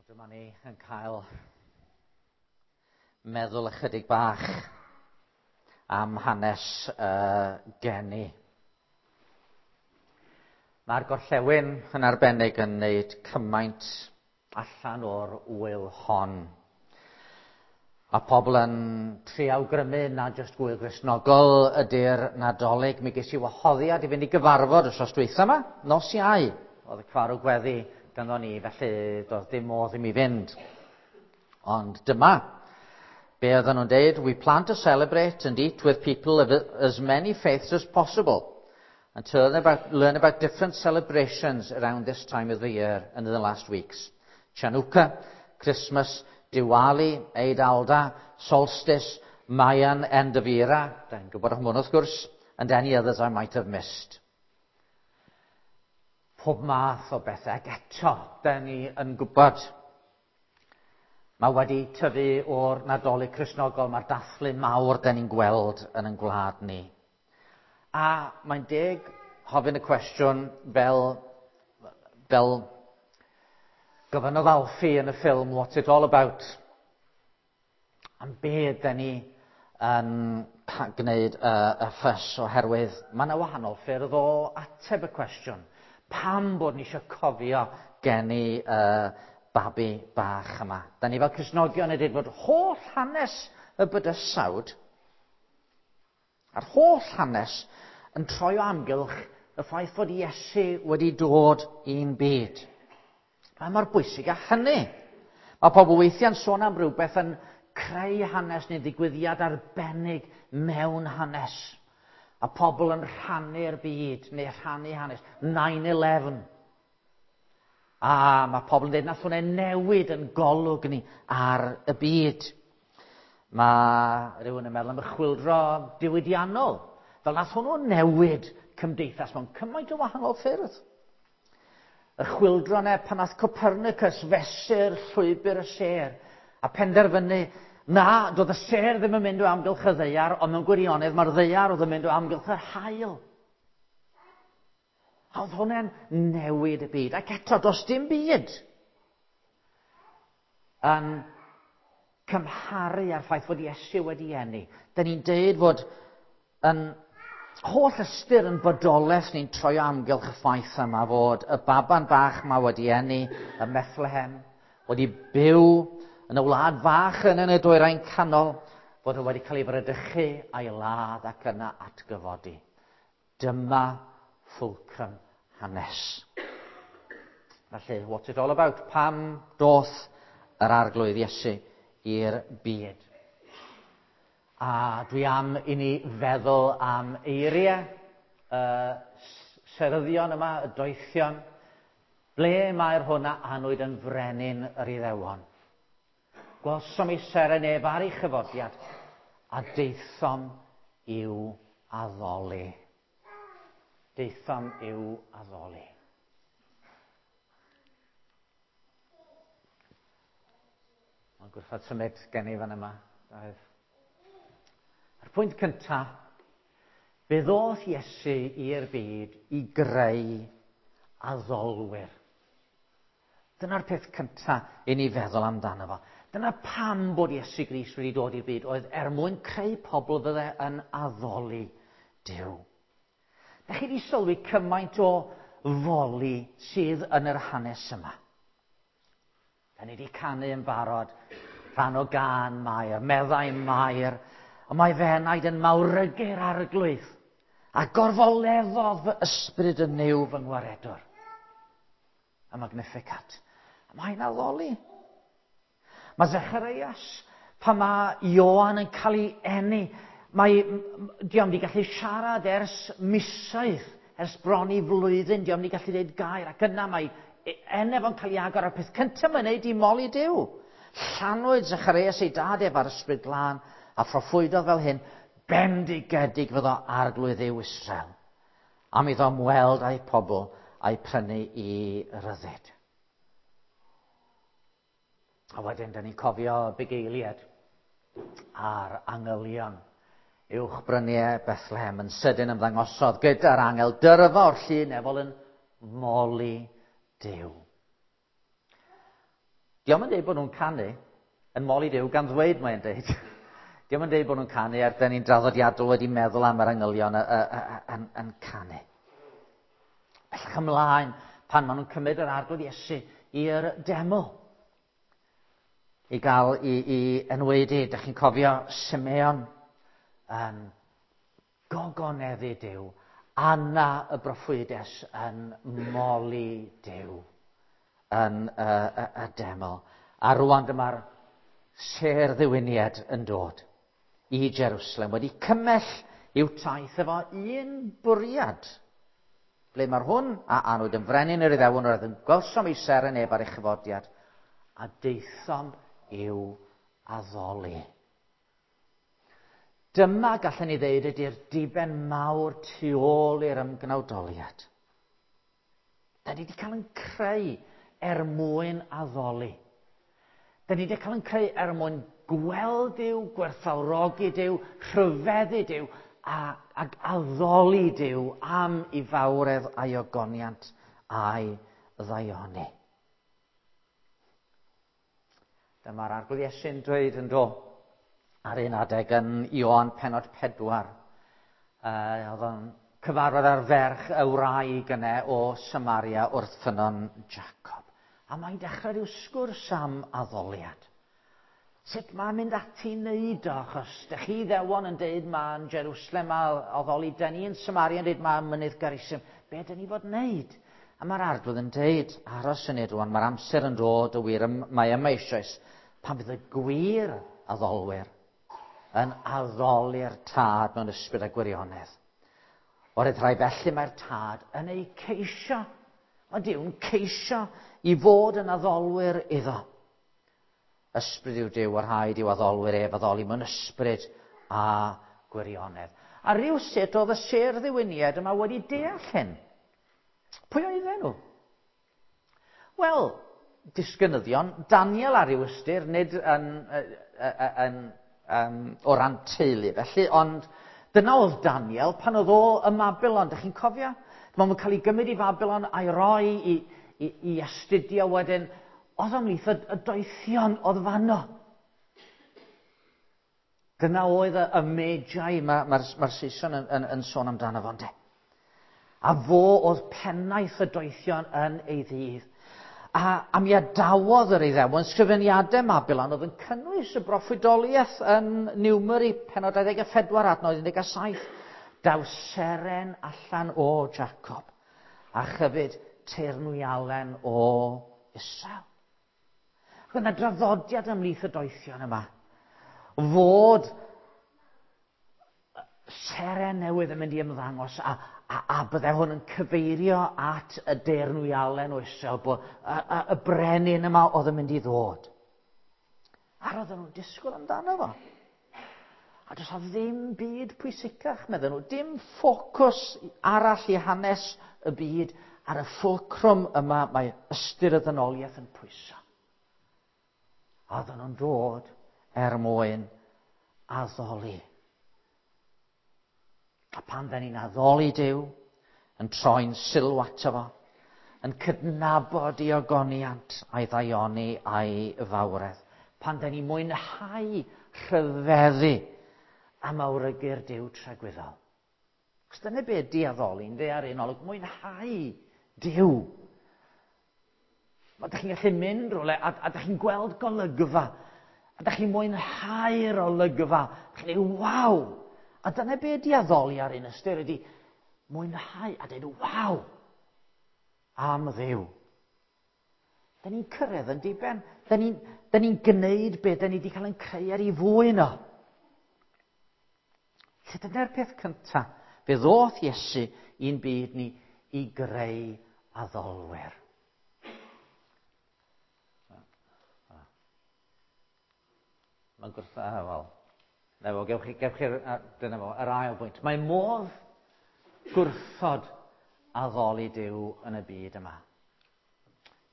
Dyma ni yn cael meddwl ychydig bach am hanes geni. Mae'r gorllewin yn arbennig yn wneud cymaint allan o'r ŵyl hon. A pobl yn trio awgrymu na jyst gwyl Gristnogol ydy'r Nadolig. Mi ges i wahoddiad i fynd i gyfarfod wythnos dwytha yma, nos Iau. Oedd y cyfarw gweddi ganddo ni, felly doedd dim modd i mi fynd. Ond dyma be oedden nhw'n deud: "We plan to celebrate and eat with people of as many faiths as possible and to learn about different celebrations around this time of the year and in the last weeks. Chanukah, Christmas, Diwali, Eid al-Adha, Solstice, Mayan End of Era," da ni'n gwybod am hwn wrth gwrs, "and any others I might have missed." Pob math o bethau, ac eto, da ni yn gwybod mae wedi tyfu o'r Nadolig Cristnogol, mae'r dathlu mawr da ni'n gweld yn ein gwlad ni. A mae'n deg hofyn y cwestiwn fel gofynnodd Alfie yn y ffilm "What's It All About?" Am be da ni yn gwneud y ffys, oherwydd mae yna wahanol ffyrdd o ateb y cwestiwn. Pam bod ni eisiau cofio geni babi bach yma? Da ni fel Cristnogion yn dweud fod holl hanes y bydysawd a'r holl hanes yn troi o amgylch y ffaith fod Iesu wedi dod i'n byd. Mae mor bwysig â hynny. Mae pobl weithiau'n sôn am rhywbeth yn creu hanes neu ddigwyddiad arbennig mewn hanes. A pobl yn rhannu'r byd neu rhannu hanes. 9-11. A mae pobl yn dweud nath hwnna newid yn golwg ni ar y byd. Mae rhywun yn meddwl am y chwyldro diwydiannol. Fel nath hwnnw newid cymdeithas mewn cymaint o wahanol ffyrdd. Y chwyldro 'na pan nath Copernicus fesur llwybr y sêr a penderfynu na, doedd y sêr ddim yn mynd o amgylch y ddaear, ond mewn gwirionedd mae'r ddaear oedd yn mynd o amgylch yr haul. A oedd hwnna'n newid y byd. Ac eto, does dim byd yn cymharu â'r ffaith fod Iesu wedi eni. Da ni'n deud fod yn holl ystyr yn bodolaeth ni'n troi o amgylch y ffaith yma fod y baban bach yma wedi eni ym Methlehem, wedi byw yn y wlad fach yn y dwyrain canol, fod o wedi cael ei fradychu a'i ladd ac yna atgyfodi. Dyma fulcrum hanes. Felly, what's it all about? Pam doth yr Arglwydd Iesu i'r byd? A dwi am i ni feddwl am eiriau y seryddion yma, y doethion. Ble mae'r hwn a anwyd yn frenin yr Iddewon? Gwelsom ei seren ef ar ei chyfodiad a daethom i'w addoli. Daethom i'w addoli. Mae'n gwrthod symud gen i fan yma. A'r pwynt cyntaf, fe ddoth Iesu i'r byd i greu addolwyr. Dyna'r peth cyntaf i ni feddwl amdano fo. Dyna pam bod Iesu Grist wedi dod i'r byd, oedd er mwyn creu pobl fydde yn addoli Duw. Da chi wedi sylwi cymaint o foli sydd yn yr hanes yma? Da ni wedi canu yn barod rhan o gân Mair, meddai Mair, "Y mae fy enaid yn mawrygu'r Arglwydd, a gorfoleddodd fy ysbryd yn Nuw fy ngwaredwr." Y Magnificat. A mae'n addoli. Mae Zacharias, pan mae Ioan yn cael ei eni, mae, dio'm wedi gallu siarad ers misoedd, ers bron i flwyddyn, dio'm wedi gallu dweud gair, ac yna mae enau fo'n cael ei agor, a'r peth cyntaf mae'n neud i moli Duw. Llanwyd Zacharias ei dad ef â'r Ysbryd Glân, a phroffwydodd fel hyn: "Bendigedig fyddo Arglwydd Dduw Israel, am iddo ymweld â'i pobl a'i prynu i ryddid." A wedyn, da ni'n cofio bugeiliad a'r angylion uwch bryniau Bethlehem yn sydyn ymddangosodd gyda'r angel dyrfa o'r llu nefol yn moli Duw. Dio'm yn deud bod nhw'n canu, yn moli Duw gan ddweud mae'n deud. Dio'm yn deud bod nhw'n canu, er dyn ni'n draddodiadol wedi meddwl am yr angylion yn canu. Bellach ymlaen, pan maen nhw'n cymryd yr Arglwydd Iesu i'r deml i gael i enwaedu. Dych chi'n cofio Simeon yn gogoneddu Duw, Anna y broffwydes yn moli Duw yn y deml. A rwan dyma'r sêr ddiwyniad yn dod i Jerusalem, wedi cymell i'w taith efo un bwriad. Ble mae'r hwn a anwyd yn frenin yr Iddewon, roedd yn gwelsom ei seren ef ar ei chyfodiad, a daethom i'w addoli. Dyma, gallen ni ddeud, ydy'r diben mawr tu ôl i'r ymgnawdoliad. Da ni wedi cael yn creu er mwyn addoli. Da ni wedi cael yn creu er mwyn gweld Duw, gwerthfawrogi Duw, rhyfeddu Duw, ac addoli Duw am ei fawredd a'i ogoniant a'i ddaioni. Dyma'r Arglwydd Iesu'n dweud yn do, ar un adeg yn Ioan pennod 4. Oedd o'n cyfarfod ar ferch y wraig yna o Samaria wrth ffynnon Jacob. A mae'n dechrau rhyw sgwrs am addoliad. Sut mae'n mynd ati i wneud o, achos dych chi Iddewon yn deud ma'n Jerusalem a addoli, dyn ni yn Samaria yn deud ma'n mynydd Garisim. Be dyn ni fod wneud? A mae'r Arglwydd yn deud, aros yn ei rwan, mae'r amser yn dod y wir, mae yma eisoes, pan fydd y gwir addolwyr yn addoli'r Tad mewn ysbryd a gwirionedd. O'r rhai felly mae'r Tad yn ei ceisio. Mae Duw'n ceisio i fod yn addolwyr iddo. Ysbryd yw Duw, a rhaid i'w addolwyr ef addoli mewn ysbryd a gwirionedd. A rhywsut oedd y sêr ddiwyniad yma wedi deall hyn. Pwy oedden nhw? Wel, disgynyddion Daniel ar ryw ystyr, nid o ran teulu felly, ond dyna oedd Daniel pan oedd o ym Mabilon. Dych chi'n cofio? Mae'n cael ei gymryd i Fabilon a'i roi i astudio wedyn. Oedd ymhlith y doethion oedd fanno. Dyna oedd y Magi mae'r Saeson yn sôn amdano fo, ynde. A fo oedd pennaeth y doethion yn ei ddydd. A mi adawodd yr Iddewon sgrifeniadau Mabilon oedd yn cynnwys y broffwydoliaeth yn Numeri pennod 24 adnod 17. Daw seren allan o Jacob a chyfyd teyrnwialen o Israel. Roedd yna draddodiad ymhlith y doethion yma fod seren newydd yn mynd i ymddangos a bydde hwn yn cyfeirio at y deyrnwialen o Israel, bod y brenin yma oedd yn mynd i ddod. A roedden nhw'n disgwyl amdano fo. A does 'na ddim byd pwysicach, medden nhw, dim ffocws arall i hanes y byd ar y ffulcrwm yma mae ystyr y ddynoliaeth yn pwyso. A oedden nhw'n dod er mwyn addoli. A pan da ni'n addoli Duw, yn troi'n sylw ato fo, yn cydnabod ei ogoniant a'i ddaioni a'i fawredd, pan da ni'n mwynhau rhyfeddu a mawrygu'r Duw tragwyddol. Chos dyna be ydi addoli, ynde, ar un olwg, mwynhau Duw. Mae dych chi'n gallu mynd rhywle a dych chi'n gweld golygfa, a dych chi'n mwynhau'r olygfa, dych chi'n dweud, waw! A dyna be ydi addoli ar un ystyr, ydi mwynhau a dweud, waw! Am Dduw. Da ni'n cyrraedd yn diben. Da ni'n gwneud be da ni wedi cael yn creu ar ei fwyn o. Lle dyna'r peth cyntaf. Fe ddoth Iesu i'n byd ni i greu addolwyr. Mae'n gwrth... Wel, na fo, gewch chi'r, dyna fo, yr ail bwynt. Mae modd gwrthod addoli Duw yn y byd yma.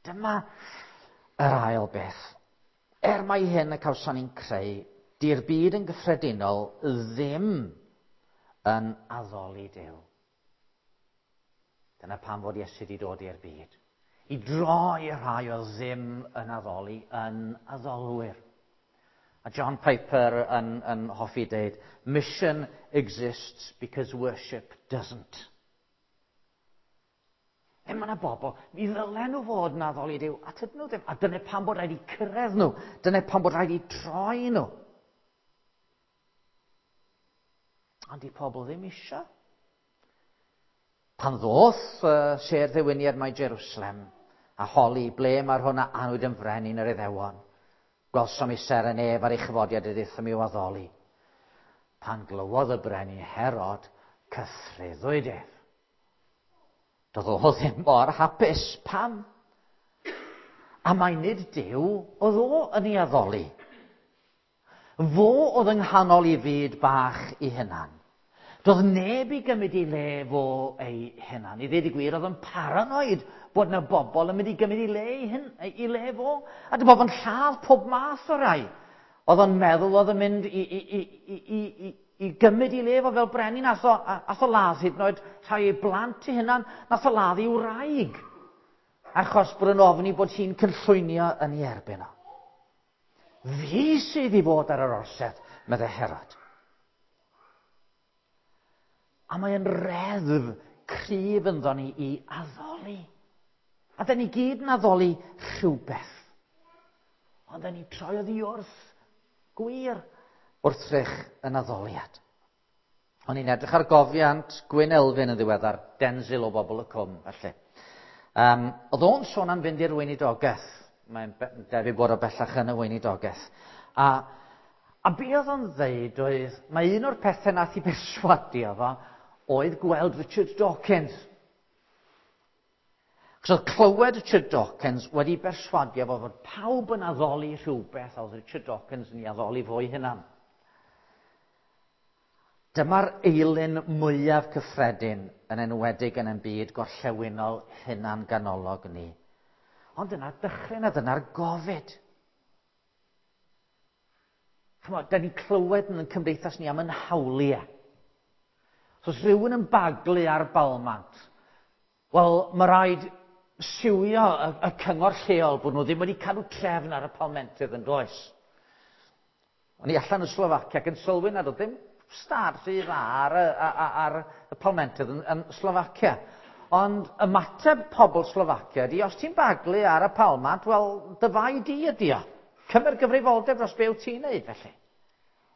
Dyma yr ail beth. Er mai hyn y cawson ni'n creu, di'r byd yn gyffredinol ddim yn addoli Duw. Dyna pam fod Iesu wedi dod i'r byd. I droi y rhai oedd ddim yn addoli yn addolwyr. A John Piper yn hoffi deud, "Mission exists because worship doesn't." E mae yna bobl, mi ddylen nhw fod yn addoli Duw, a tydyn nhw ddim. A dyna pam bod rhaid i cyrraedd nhw. Dyna pam bod rhaid i troi nhw. Ond di pobl ddim eisiau. Pan ddoth sêr ddewiniad mae Jerusalem a holi ble mae'r hwn a anwyd yn frenin yr Iddewon, gwelsom ei seren ef ar ei chyfodiad a deuthum i'w addoli. Pan glywodd y brenin Herod, cythruddwyd ef. Doedd o ddim mor hapus. Pam? A mai nid Duw oedd o yn ei addoli. Fo oedd yng nghanol ei fyd bach ei hunan. Doedd neb i gymryd ei le fo ei hunan. I ddweud y gwir, oedd yn paranoid bod yna bobl yn mynd i gymryd ei le, ei hun, ei le fo. A dyma fo'n lladd pob math o rai. Oedd o'n meddwl oedd yn mynd i gymryd ei le fo fel brenin. Ath o ladd hyd yn oed rhai ei blant ei hunan. Nath o ladd ei wraig. Achos bod yn ofni bod hi'n cynllwynio yn ei erbyn o. Fi sydd i fod ar yr orsedd, meddai Herod. A mae'n reddf cryf ynddo ni i addoli. A da ni gyd yn addoli rhywbeth. Ond da ni troi oddi wrth gwir wrthrych yn addoliad. O'n i'n edrych ar gofiant Gwyn Elfyn yn ddiweddar, Denzil o Bobl y Cwm, felly. Oedd o'n sôn am fynd i'r weinidogaeth. Mae'n debyg bod o bellach yn y weinidogaeth. A be oedd o'n ddeud oedd, mae un o'r pethau nath i berswadio fo oedd gweld Richard Dawkins. Cos oedd clywed Richard Dawkins wedi berswadio fo fod pawb yn addoli rhywbeth, a oedd Richard Dawkins yn ei addoli fo'i hunan. Dyma'r eilun mwyaf cyffredin, yn enwedig yn ein byd gorllewinol hunan ganolog ni. Ond dyna'r dychryn a dyna'r gofid. Ch'mod, da ni'n clywed yn cymdeithas ni am yn hawliau. So os rhywun yn baglu ar balmant, wel, mae rhaid siwio y cyngor lleol bod nhw ddim wedi cadw trefn ar y palmentydd yn does. O'n i allan yn Slofacia ac yn sylwi nad oedd ddim stad rhy dda ar y palmentydd yn Slofacia. Ond ymateb pobl Slofacia ydi, os ti'n baglu ar y palmant, wel, dy fai di ydi o. Cymer gyfrifoldeb dros be wyt ti'n neud, felly.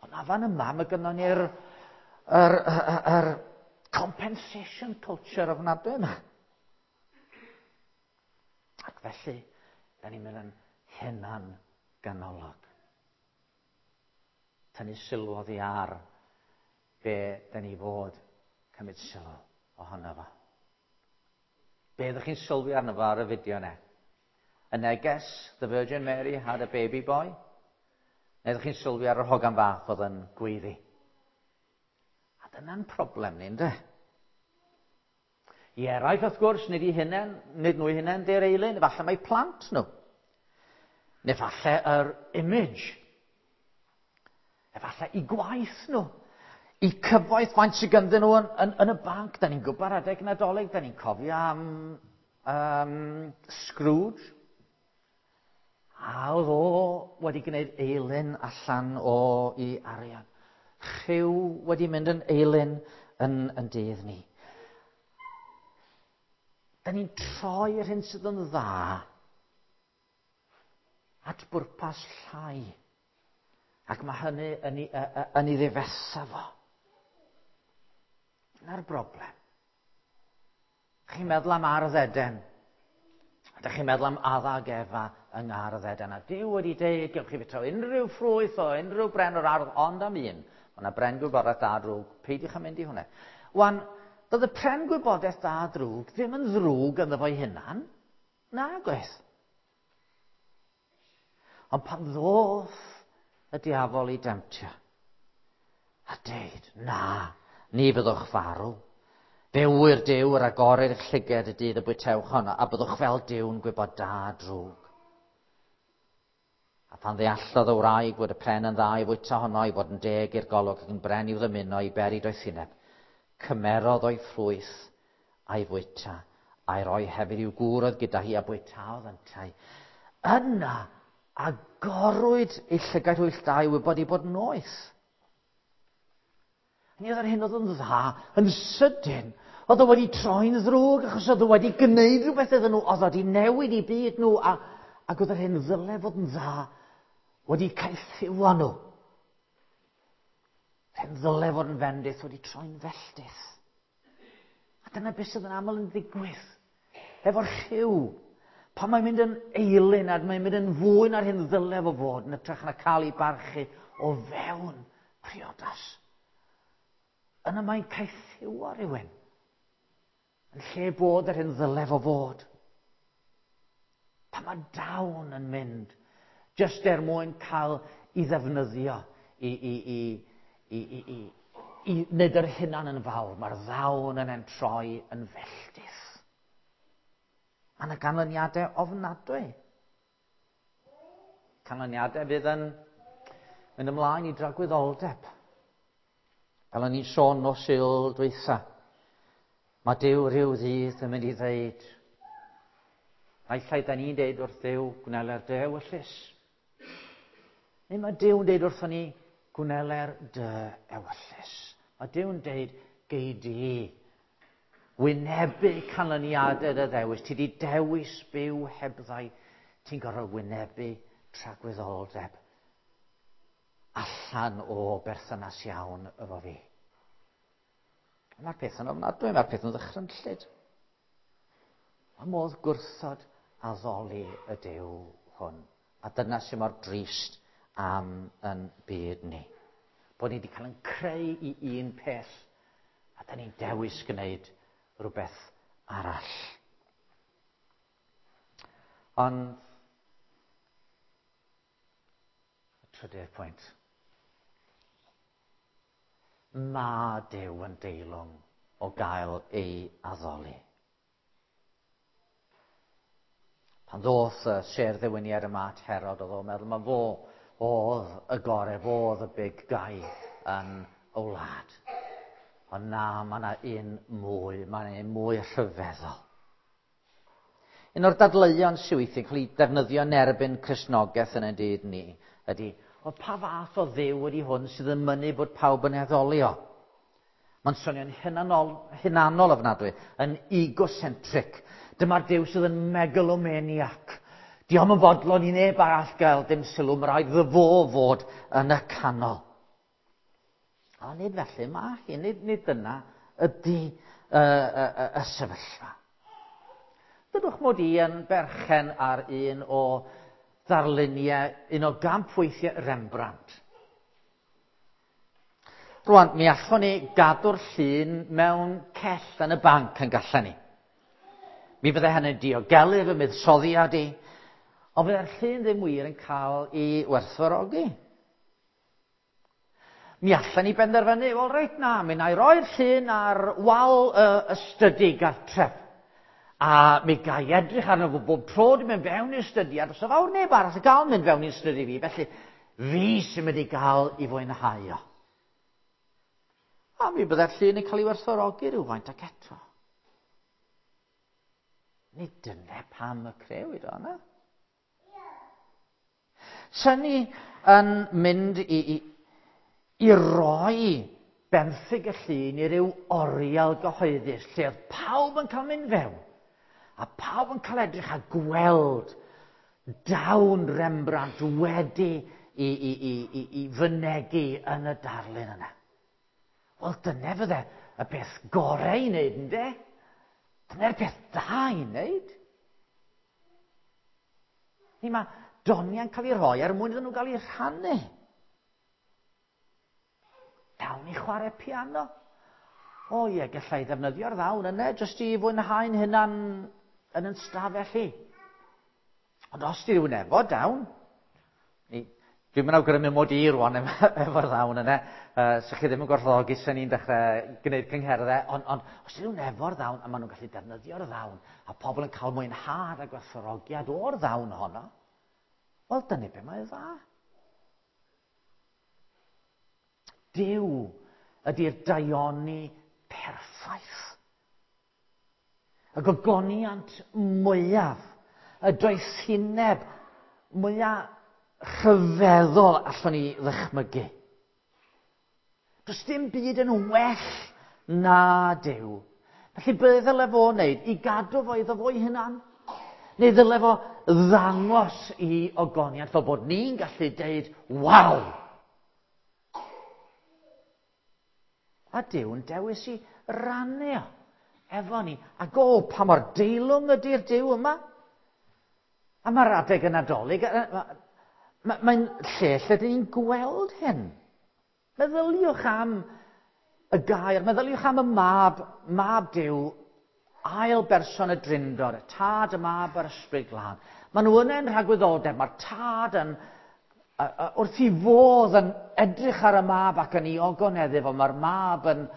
Ond a fan yma, mae gynnon ni'r yr compensation culture ofnadwy yma. Ac felly, da ni'n mynd yn hunan ganolog. Tynnu sylw oddi ar be da ni fod cymryd sylw ohono fo. Be ydych chi'n sylwi arno fo ar y fideo yna? Y neges, the Virgin Mary had a baby boy? Neu ydych chi'n sylwi ar yr hogan fach oedd yn gweiddi? A dyna'n problem ni, ynddo? I eraill, wrth gwrs, nid i hunain, nid nhw i hunain, di'r eilun, efallai mae plant nhw. Neu falle yr image. Efallai i gwaith nhw. I cyfoeth faint sydd ganddyn nhw yn y banc. Da ni'n gwybod adeg Nadolig, da ni'n cofio am Scrooge. A oedd o wedi gwneud eilun allan o i arian. Rhyw wedi mynd yn eilun yn dydd ni. Da ni'n troi yr hyn sydd yn dda at bwrpas llai. Ac mae hynny yn ei ddifetha fo. Dyna'r broblem. Chi'n meddwl am Ardd Eden. Ydych chi'n meddwl am Adda ag Efa yng Ngardd Eden. A Duw wedi deud, gewch chi fwyta unrhyw ffrwyth o unrhyw bren o'r ardd, ond am un. Mae yna bren gwybodaeth da drwg. Peidiwch â mynd i hwnna. Wan, doedd y pren gwybodaeth da drwg ddim yn ddrwg ynddo fo'i hunan. Nag oedd. Ond pan ddoth y diafol i demtio, a deud, na, ni fyddwch farw. Fe ŵyr Duw yr agorir eich llyged y dydd y bwytewch honno, a byddwch fel Duw'n gwybod da drwg. A phan ddeallodd y wraig fod y pren yn dda i fwyta honno, i fod yn deg i'r golwg ac yn bren i'w ddymuno i beri doethineb, cymerodd o'i ffrwyth a'i fwyta, A'i roi hefyd i'w gŵr oedd gyda hi a bwytaodd yntau. Yna, agorwyd ei llygaid hwyll da i wybod ei bod yn noeth. Ni oedd yr hyn oedd yn dda yn sydyn. Oedd o wedi troi'n ddrwg achos oedd o wedi gwneud rhywbeth iddyn nhw, oedd o wedi newid i byd nhw, a, ac oedd yr hyn ddyle fod yn dda wedi caethiwo nhw. Yr hyn ddyle fod yn fendith wedi troi'n felltith. A dyna beth sydd yn aml yn ddigwydd. Efo'r rhyw, pan mae'n mynd yn eilun a mae'n mynd yn fwy na'r hyn ddyle fo fod, yn ytrach na cael ei barchu o fewn priodas. Yna mae'n caethiwo rhywun. Yn lle bod yr hyn ddyle fo fod. Pan mae dawn yn mynd, jyst er mwyn cael i ddefnyddio i, i, i, i, i, i, i wneud yr hunan yn fawr, mae'r ddawn yn entroi yn felltith. Mae yna ganlyniadau ofnadwy. Canlyniadau fydd yn mynd ymlaen i dragwyddoldeb. Fel o'n i'n sôn nos Sul dwytha, mae Duw rhyw ddydd yn mynd i ddeud, naill ai da ni'n deud wrth Dduw, gwneler dy ewyllys. Neu mae Duw'n deud wrthon ni, gwneler dy ewyllys. Mae Duw'n deud, gei di wynebu canlyniadau dy ddewis. Ti di dewis byw hebddau. Ti'n gorfod wynebu tragwyddoldeb allan o berthynas iawn efo fi. Mae'r peth yn ofnadwy, mae'r peth yn ddychrynllyd. Mae modd gwrthod addoli y Duw hwn. A dyna sy'n mor drist am yn byd ni. Bod ni wedi cael yn creu i un peth, a da ni'n dewis gwneud rhywbeth arall. Ond Y trydydd pwynt. Mae Duw yn deilwng o gael ei addoli. Pan ddoth y sêr ddewiniad yma at Herod, oedd o'n meddwl mae fo oedd y gore, fo oedd y big guy yn y wlad. Ond na, mae yna un mwy, mae yna un mwy rhyfeddol. Un o'r dadleuon sydd weithiau'n cael ei defnyddio yn erbyn Cristnogaeth yn ein dydd ni ydy, o pa fath o dduw ydy hwn sydd yn mynnu bod pawb yn addolio? Mae'n swnio'n hunanol, hunanol ofnadwy, yn egocentric. Dyma'r Duw sydd yn megalomaniac. Diolch yn fodlon i neb arall gael dim sylw, mae rhaid iddo fo fod yn y canol. A nid felly mae hi, nid, nid dyna ydy y, y, y, y sefyllfa. Dydwch mod i yn berchen ar un o ddarluniau, un o gampweithiau Rembrandt. Rwan, mi allwn ni gadw'r llun mewn cell yn y banc yn gallen ni. Mi fydde hynny'n diogelu fy muddsoddiad i, ond fydde'r llun ddim wir yn cael ei werthfawrogi. Mi allan ni benderfynu, wel reit na, mi na i roi'r llun ar wal y ystydu gartref. A mi ga i edrych arno fo bob tro dwi'n mynd fewn i'r stydi, a does fawr neb arall yn gael mynd fewn i'r stydi fi, felly fi sy'n mynd i gael i fwynhau o. A mi bydde'r llun yn cael ei werthfawrogi rhywfaint ac eto. Nid dyna pam y crewyd o, na? Sen ni yn mynd i, i, i roi benthyg y llun i ryw oriel gyhoeddus lle oedd pawb yn cael mynd fewn a pawb yn cael edrych a gweld dawn Rembrandt wedi i, i, i, i, i fynegu yn y darlun yna. Wel, dyna fydde y peth gorau i wneud, ynddo? Dyna'r peth da i wneud. Ni mae doniau'n cael ei rhoi er mwyn iddyn nhw gael eu rhannu. Dawn i chwarae piano. O ie, gallai ddefnyddio'r ddawn yna jyst i fwynhau'n hunan yn yn stafell i. Ond os di rhywun efo dawn, ni, Dwi'm yn awgrymu mod i rwan efo'r ddawn yna. Uh, so chi ddim yn gwerthfawrogi sy'n ni'n dechrau gwneud cyngherddau, ond, ond os ydyn nhw'n efo'r ddawn, a maen nhw'n gallu defnyddio'r ddawn, a pobl yn cael mwynhad a gwerthfawrogiad o'r ddawn honno, wel, dyna be mae dda. Duw ydy'r daioni perffaith. Y gogoniant mwyaf, y doethineb mwyaf rhyfeddol allwn ni ddychmygu. Does dim byd yn well na Duw. Felly be ddyle fo wneud? I gadw fo iddo fo'i hunan? Neu ddyle fo ddangos i ogoniant fel bod ni'n gallu deud, waw! A Duw'n dewis i rannu o efo ni. Ac o, pa mor deilwng ydy'r Duw yma? A mae'r adeg y Nadolig, mae'n lle lle dyn ni'n gweld hyn. Meddyliwch am y gair, meddyliwch am y mab, mab Duw, ail berson y Drindod, y Tad, y Mab a'r Ysbryd Glân. Maen nhw yna yn rhagwyddoldeb, mae'r Tad yn, wrth i fodd yn edrych ar y Mab ac yn ei ogoneddu fo, mae'r Mab yn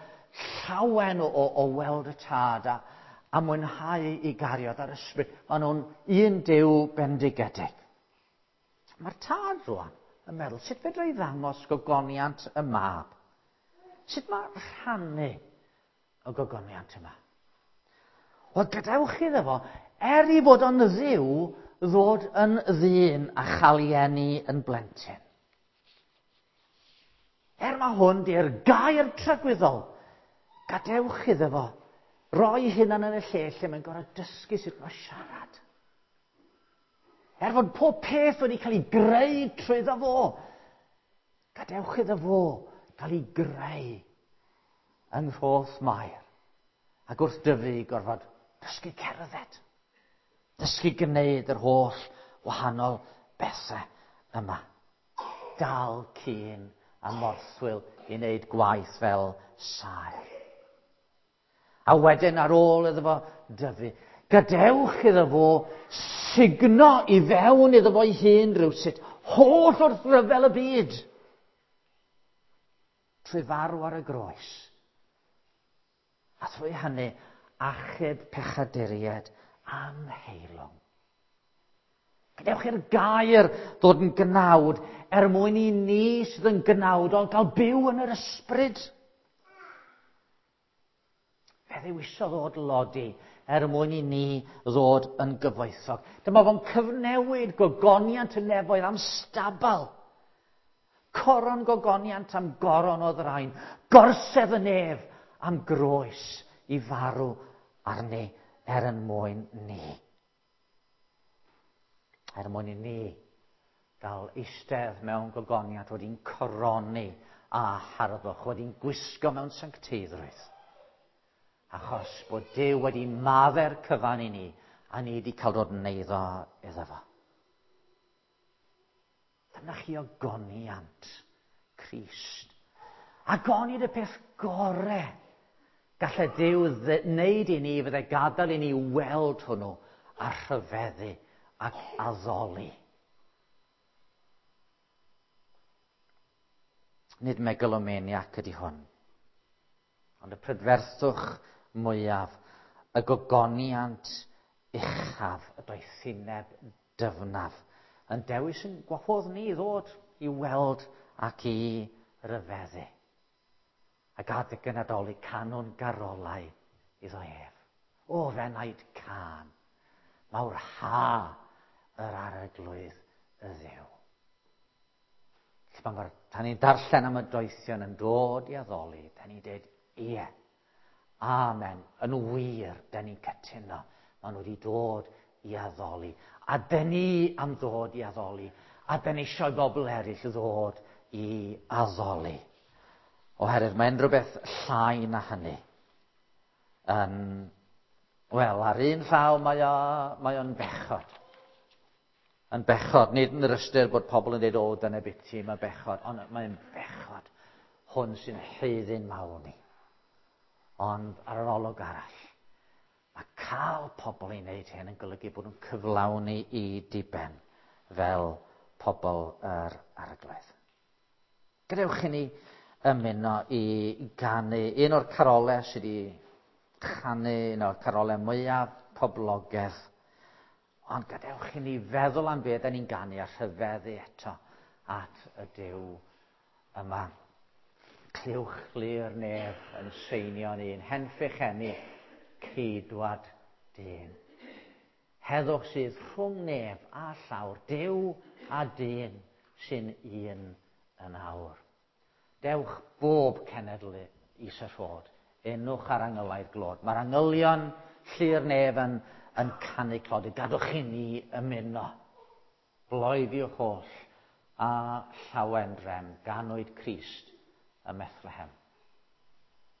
llawen o weld y Tad a mwynhau ei gariad a'r Ysbryd. Maen nhw'n un Duw bendigedig. Mae'r Tad rwan yn meddwl, sut fedra i ddangos gogoniant y Mab? Sut mae rhannu y gogoniant yma? Wel, gadewch iddo fo, er i fod o'n Dduw, ddod yn ddyn a chael ei eni yn blentyn. Er mae hwn di'r gair tragwyddol, gadewch iddo fo roi hunan yn y lle lle mae'n gorfod dysgu sut mae siarad. Er fod pob peth wedi cael ei greu trwyddo fo, gadewch iddo fo gael ei greu yng Nghroth Mair. Ac wrth dyfu gorfod dysgu cerdded, dysgu gwneud yr holl wahanol bethau yma. Dal cyn a morthwyl i wneud gwaith fel saer. A wedyn ar ôl iddo fo dyfu, gadewch iddo fo sugno i fewn iddo fo'i hun rywsut, holl wrthryfel y byd, trwy farw ar y groes. A thrwy hynny, achub pechaduriaid anheilwng. Gadewch i'r gair ddod yn gnawd er mwyn i ni sydd yn gnawd ond gael byw yn yr ysbryd. Fe ddewisodd o dlodi er mwyn i ni ddod yn gyfoethog. Dyma fo'n cyfnewid gogoniant y nefoedd am stabal. Coron gogoniant am goron o ddrain. Gorsedd y nef am groes i farw arni er yn mwyn ni. Er mwyn i ni gael eistedd mewn gogoniant wedi'n coroni a harddwch, wedi'n gwisgo mewn sancteiddrwydd. Achos bod Duw wedi maddau'r cyfan i ni, a ni wedi cael dod yn eiddo iddo fo. Dyna chi ogoniant Crist. Ac onid y peth gore gallai Duw wneud i ni fydde gadael i ni weld hwnnw a rhyfeddu ac addoli. Nid megalomaniac ydy hwn, ond y prydferthwch mwyaf, y gogoniant uchaf, y doethineb dyfnaf, yn dewis yn gwahodd ni i ddod i weld ac i ryfeddu. Ac adeg y Nadolig canwn garolau iddo ef. O fenaid cân, mawr ha yr arglwydd y Dduw. Lle pan ni'n darllen am y doethion yn dod i addoli, da ni'n dweud, ie, amen, yn wir, da ni'n cytuno. Maen nhw wedi dod i addoli. A da ni am ddod i addoli. A da ni eisiau bobl eraill ddod i addoli. Oherwydd mae'n rhywbeth llai na hynny. Wel, ar un llaw mae o'n bechod. Yn bechod, nid yn yr ystyr bod pobl yn dweud, o, dyna biti, mae'n bechod, ond mae'n bechod hwn sy'n haeddu'n mawl ni. Ond ar yr olwg arall, mae cael pobl i wneud hyn yn golygu bod nhw'n cyflawni i diben fel pobl yr arglwydd. Gadewch i ni ymuno i ganu un o'r carolau sydd wedi chanu, un o'r carolau mwyaf poblogaidd. Ond gadewch i ni feddwl am beth da ni'n ganu a rhyfeddu eto at y Duw yma. Clywch lir nef yn seinio'n un, henffych eni, ceidwad dyn. Heddwch sydd rhwng nef a llawr, Duw a dyn sy'n un yn awr. Dewch bob cenedl i syrffod, enwch ar angylaidd glod. Mae'r angylion llu'r nef yn canu clod, gadwch i ni ymuno. Bloeddiwch oll a llawen drem, ganwyd Crist ym Methlehem.